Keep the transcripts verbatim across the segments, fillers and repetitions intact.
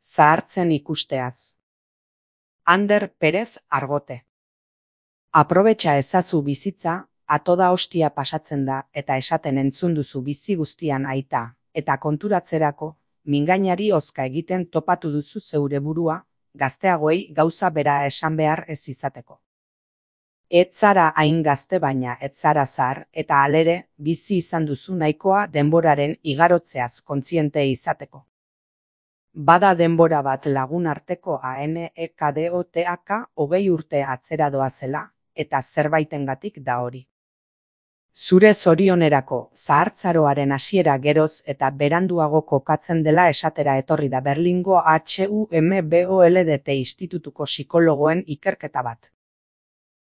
zahartzen ikusteaz. Ander Perez Argote. Aprobetxa ezazu bizitza, atoda hostia pasatzen da eta esaten entzun duzu bizi guztian aita, eta konturatzerako, mingainari hozka egiten topatu duzu zeure burua, gazteagoei gauza bera esan behar ez izateko. Ez zara hain gazte baina ez zara zahar, eta halere, bizi izan duzu nahikoa denboraren igarotzeaz kontziente izateko. Bada denbora bat lagun arteko ANEKDOTAK hogei urte atzera doazela, eta zerbaitengatik da hori. Zure zorionerako, zahartzaroaren hasiera geroz eta beranduago kokatzen dela esatera etorri da Berlingo HUMBOLDT institutuko psikologoen ikerketa bat.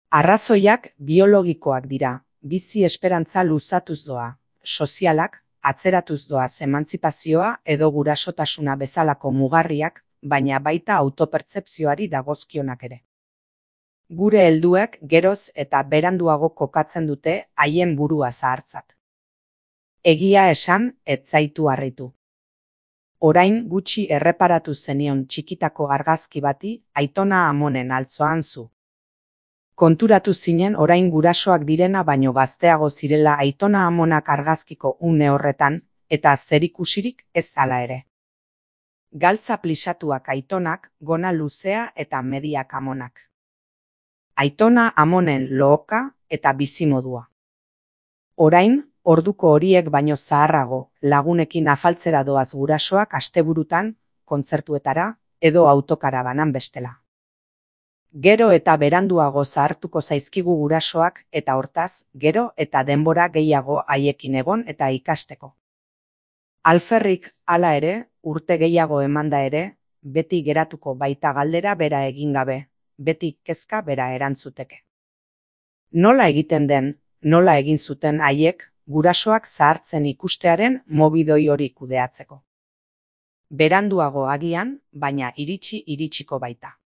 Arrazoiak biologikoak dira, bizi esperantza luzatuz doa, sozialak, atzeratuz doaz emantzipazioa edo gurasotasuna bezalako mugarriak, baina baita autopertzepzioari dagozkionak ere. Gure helduek geroz eta beranduago kokatzen dute haien burua zahartzat. Egia esan, ez zaitu harritu. Orain gutxi erreparatu zenion txikitako argazki bati Aitona Amonen altzoan zu. Konturatu zinen orain gurasoak direna baino gazteago zirela Aitona Amonak argazkiko une horretan, eta zerikusirik ez hala ere. Galtza plisatuak Aitonak, gona luzea eta mediak Amonak. Aitona Amonen lohoka eta bizimodua. Orain, orduko horiek baino zaharrago, lagunekin afaltzera doaz gurasoak asteburutan, kontzertuetara, edo autokarabanan bestela. Gero eta beranduago zahartuko zaizkigu gurasoak eta hortaz, gero eta denbora gehiago haiekin egon eta ikasteko. Alferrik, hala ere, urte gehiago emanda ere, beti geratuko baita galdera bera egin gabe, beti kezka bera erantzuteke. Nola egiten den, nola egin zuten haiek, gurasoak zahartzen ikustearen mobidoi hori kudeatzeko. Beranduago agian, baina iritsi iritsiko baita.